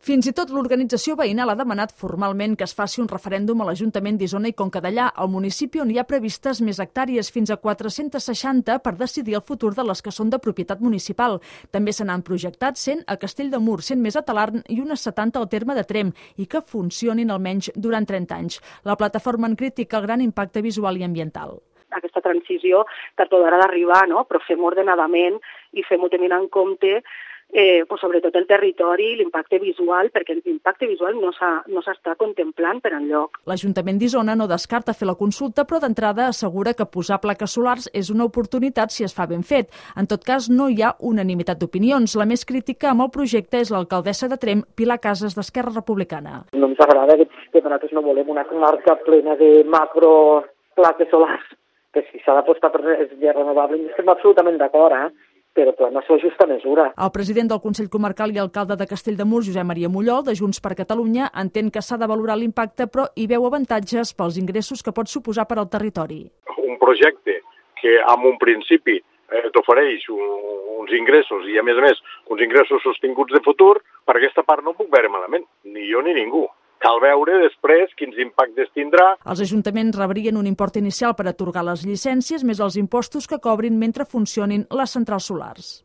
Fins i tot l'organització veïnal ha demanat formalment que es faci un referèndum a l'Ajuntament d'Isona i Conca Dellà, al municipi on hi ha previstes més hectàrees, fins a 460, per decidir el futur de les que són de propietat municipal. També se n'han projectat 100 a Castell de Mur, 100 més a Talarn i unes 70 al terme de Tremp, i que funcionin almenys durant 30 anys. La plataforma en critica el gran impacte visual i ambiental. Aquesta transició tard o d'hora d'arribar, no? Però fem-ho ordenadament i fem-ho tenint en compte sobretot el territori i l'impacte visual, perquè l'impacte visual no s'està contemplant per enlloc. L'Ajuntament d'Isona no descarta fer la consulta, però d'entrada assegura que posar plaques solars és una oportunitat si es fa ben fet. En tot cas, no hi ha unanimitat d'opinions. La més crítica amb el projecte és l'alcaldessa de Tremp, Pilar Casas, d'Esquerra Republicana. No ens agrada aquest sistema, nosaltres no volem una comarca plena de macro plaques solars, que si s'ha d'apostar per energies renovables estem absolutament d'acord, però clar, no s'ho justa mesura. El president del Consell Comarcal i alcalde de Castell de Mur, Josep Maria Mollol, de Junts per Catalunya, entén que s'ha de valorar l'impacte, però hi veu avantatges pels ingressos que pot suposar per al territori. Un projecte que en un principi t'ofereix uns ingressos i a més uns ingressos sostinguts de futur, per aquesta part no puc veure malament, ni jo ni ningú. Cal veure després quins impactes tindrà. Els ajuntaments rebrien un import inicial per atorgar les llicències més els impostos que cobrin mentre funcionin les centrals solars.